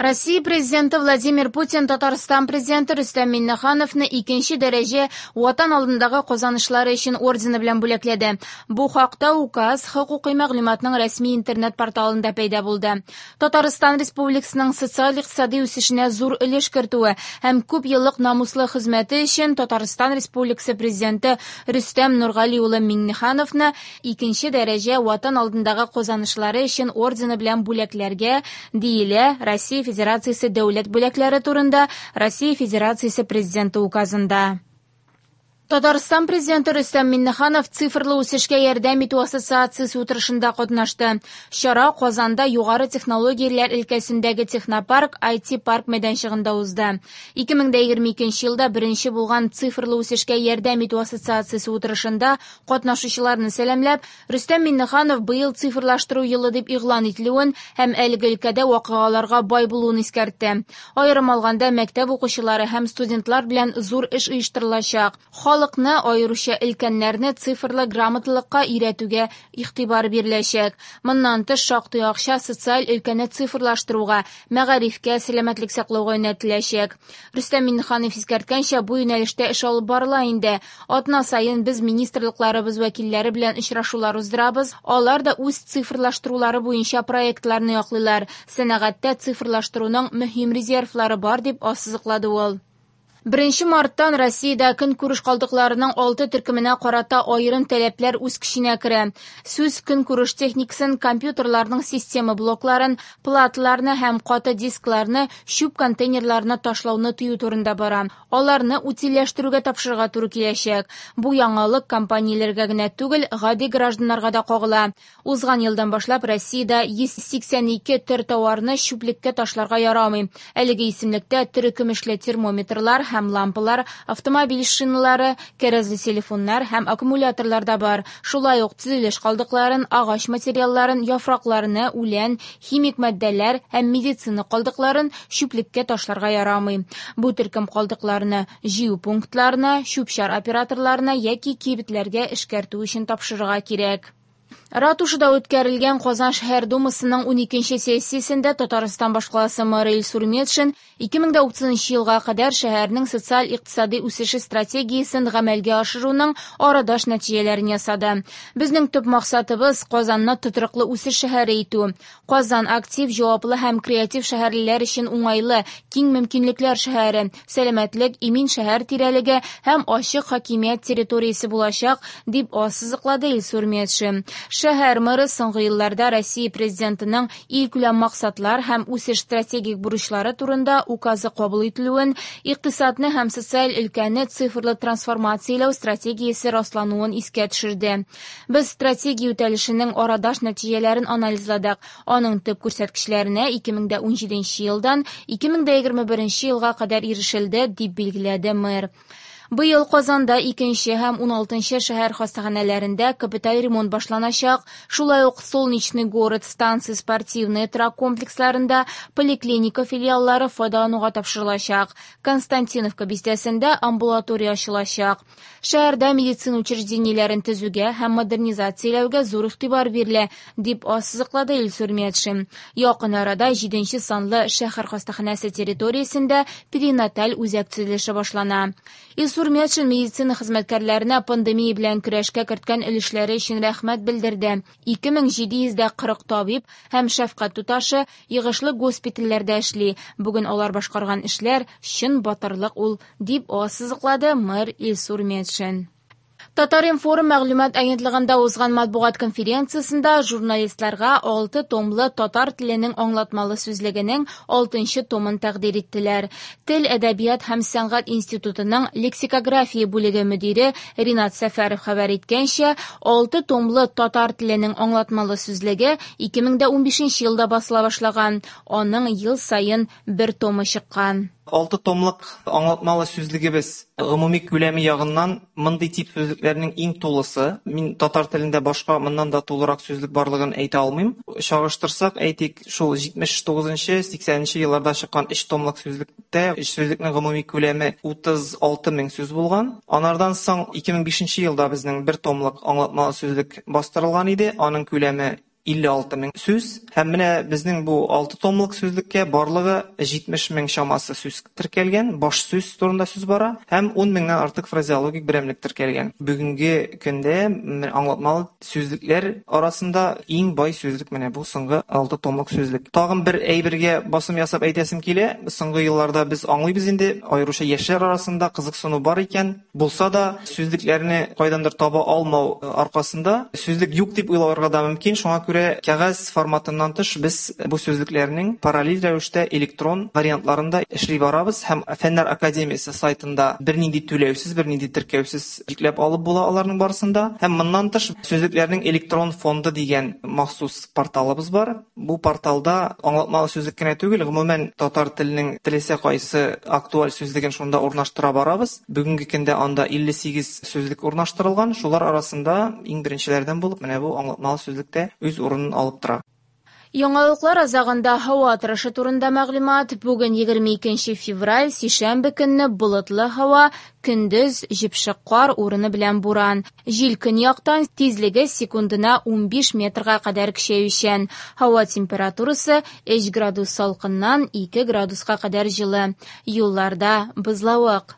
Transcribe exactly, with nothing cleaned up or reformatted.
Россия Президенты Владимир Путин Татарстан Президенты Рөстәм Миңнехановны икенче дәрәҗә Ватан алдындагы казанышлары өчен ордены белән бүләкләде. Бу хакта указ хокукый мәгълүматның рәсми интернет-порталында пәйда булды. Татарстан Республикасының социаль-икътисади үсешенә зур өлеш кертүе һәм күп еллык намуслы хезмәте өчен Татарстан Республикасы Президенты Рөстәм Нургали улы Миңнехановны икенче дәрәҗә Ватан алдындагы казанышлары өчен ордены белән бүләкләргә, диелә Россия Федерациясе дәүләт бүләкләре турында Россия Федерациясе Президенты указында. Татарстан Президенты Рөстәм Миңнеханов цифрлы үсешкә ярдәм итү ассоциациясе утырышында катнашты. Чара Казанда югары технологияләр өлкәсендәге технопарк ай ти-парк мәйданчыгында узды. ике мең дә егерме икенче елда беренче булган цифрлы үсешкә ярдәм итү ассоциациясе утырышында катнашучыларны сәламләп, Рөстәм Миңнеханов быел цифрлаштыру елы дип игълан ителүен һәм әлеге өлкәдә вакыйгаларга бай булуын искәртте. Аерым алганда, мәктәп укучылары һәм студентлар белән зур эш оештырылачак. Халыкны, аеруча өлкәннәрне цифрлы грамоталыкка өйрәтүгә игътибар биреләчәк. Моннан тыш шактый акча социаль өлкәне цифрлаштыруга, мәгарифкә, сәламәтлек саклауга юнәлтеләчәк. Рөстәм Миңнеханов искәрткәнчә, бу юнәлештә эш алып барыла инде. Атна саен без министрлыкларыбыз вәкилләре белән очрашулар уздырабыз. Алар да үз цифрлаштырулары буенча проектларны яклыйлар. Сәнәгатьтә цифрлаштыруның мөһим резервлары бар, дип ассызыклады ул. Беренче марттан Россиядә көнкүреш калдыкларының алты төркеменә карата аерым таләпләр үз көченә керә. Сүз көнкүреш техникасын, компьютерларның система блокларын, платаларны һәм каты дискларны чүп контейнерларына ташлауны тыю турында бара. Аларны утильләштерүгә тапшырырга туры киләчәк. Бу яңалык компанияләргә генә түгел, гади гражданнарга да кагыла. Узган елдан башлап Россиядә йөз сиксән ике төр товарны чүплеккә ташларга ярамый. Әлеге исемлектә терекөмешле термометрлар һәм лампалар, автомобиль шиналары, кәрәзле телефоннар һәм аккумуляторлар да бар. Шулай ук төзелеш калдыкларын, агач материалларын, яфракларны, үлән, химик матдәләр һәм медицина калдыкларын чүплеккә ташларга ярамый. Бу төркем калдыкларны җыю пунктларына, чүп-чар операторларына яки кибетләргә эшкәртү өчен тапшырырга кирәк. Ратушада үткәрелгән Казан шәһәр думасының уникенче сессиясендә Татарстан башкаласы мэры Илсур Метшин ике мең дә утызынчы елга кадәр шәһәрнең социаль-икътисади үсеше стратегиясен гамәлгә ашыруның арадаш нәтиҗәләрен ясады. Безнең төп максатыбыз Казанны тотрыклы үсеш шәһәре итү. Казан актив, җаваплы һәм креатив шәһәрлеләр өчен уңайлы, киң мөмкинлекләр шәһәре, сәламәтлек, имин шәһәр тирәлеге һәм ачык хакимият территориясе булачак, дип ассызыклады Илсур Метшин. Шәһәр мэры соңгы елларда Россия Президентының илкүләм максатлар һәм үсеш стратегик бурычлары турында указы кабул ителүен, икътисадны һәм социаль өлкәне цифрлы трансформацияләү стратегиясе раслануын искә төшерде. Без стратегия үтәлешенең арадаш нәтиҗәләрен анализладык. Аның төп күрсәткечләренә ике мең дә унҗиденче елдан ике мең дә егерме беренче елга кадәр ирешелде, дип билгеләде мэр. Быел Казанда икенче һәм уналтынчы шәһәр хастаханәләрендә капиталь ремонт башланачак. Шулай ук Солнечный город, станция спортивный торак комплексларында поликлиника филиаллары файдалануга тапшырылачак. Константиновка бистәсендә амбулатория ачылачак. Шәһәрдә медицина учреждениеләрен төзүгә һәм модернизацияләүгә зур игътибар бирелә, дип ассызыклады Илсур Метшин. Якын арада җиденче санлы шәһәр хастаханәсе территориясендә перинаталь үзәк төзелеше башлана. Илсур Метшин медицина хезмәткәрләренә пандемия белән көрәшкә керткән өлешләре өчен рәхмәт белдерде. Ике мең җиде йөз дә кырык табиб һәм шәфкать туташы йыгышлы госпитальләрдә эшли. Бүген алар башкарган эшләр чын батырлык ул, дип ассызыклады мэр Илсур Метшин. Татар-информ мәгълүмат агентлыгында узган матбугат конференциясендә журналистларга алты томлы татар теленең аңлатмалы сүзлегенең алтынчы томын тәкъдир иттеләр. Тел, әдәбият һәм сәнгать институтының лексикография бүлеге мөдире Ринат Сәфәров хәбәр иткәнчә, алты томлы татар теленең аңлатмалы сүзлеге ике мең дә унбишенче елда басыла башлаган. Аның ел саен бер томы чыккан. Алты томлык аңлатмалы сүзлегебез гомуми күләме ягыннан мондый тип сүзлекләрнең иң тулысы. Мин татар телендә башка моннан да тулырак сүзлек барлыгын әйтә алмыйм. Чагыштырсак, әйтик, шул җитмеш тугызынчы, сиксәненче елларда чыккан өч томлык сүзлектә өч сүзлекнең гомуми күләме утыз алты мең сүз булган. Анардан соң ике мең бишенче елда безнең бер томлык аңлатмалы сүзлек бастырылган иде. Аның күләме илле алты мең сүз. Һәм менә безнең бу алты томлык сүзлеккә барлыгы җитмеш мең чамасы сүз теркәлгән, баш сүз турында сүз бара, һәм ун меңнән артык фразеологик берәмлек теркәлгән. Бүгенге көндә аңлатмалы сүзлекләр арасында иң бай сүзлек менә бу соңгы алты томлык сүзлек. Тагын бер әйбергә басым ясап әйтәсем килә. Соңгы елларда без аңлыйбыз инде, аеруча яшьләр арасында кызыксыну бар икән, булса да сүзлекләрне кайдандыр таба алмау аркасында сүзлек юк дип уйларга да мөмкин. Шуңа күрә кәгазь форматыннан тыш без бу сүзлекләрнең параллель рәвештә электрон вариантларын да эшли барабыз һәм Фәннәр академиясе сайтында бернинди түләүсез, бернинди теркәүсез йөкләп алып була аларның барысын да. Һәм моннан тыш сүзлекләрнең электрон фонды дигән махсус порталыбыз бар. Бу порталда аңлатмалы сүзлек кенә түгел, гомумән татар теленең теләсә кайсы актуаль сүзлеген шунда урнаштыра барабыз. Бүгенге көндә анда илле сигез сүзлек урнаштырылган. Шулар арасында иң беренчеләрдән булып менә бу аңлатмалы сүзлектә үз урынын алып тора. Яңалыклар азагында һава торышы турында мәгълүмат. Бүген егерме икенче февраль, сишәмбе көнне болытлы һава, көндез җепшек кар урыны белән буран. Җил көньяктан, тизлеге секундына унбиш метрга кадәр көчәючән. Һава температурасы өч градус салкыннан ике градуска кадәр җылы. Юлларда бозлавык.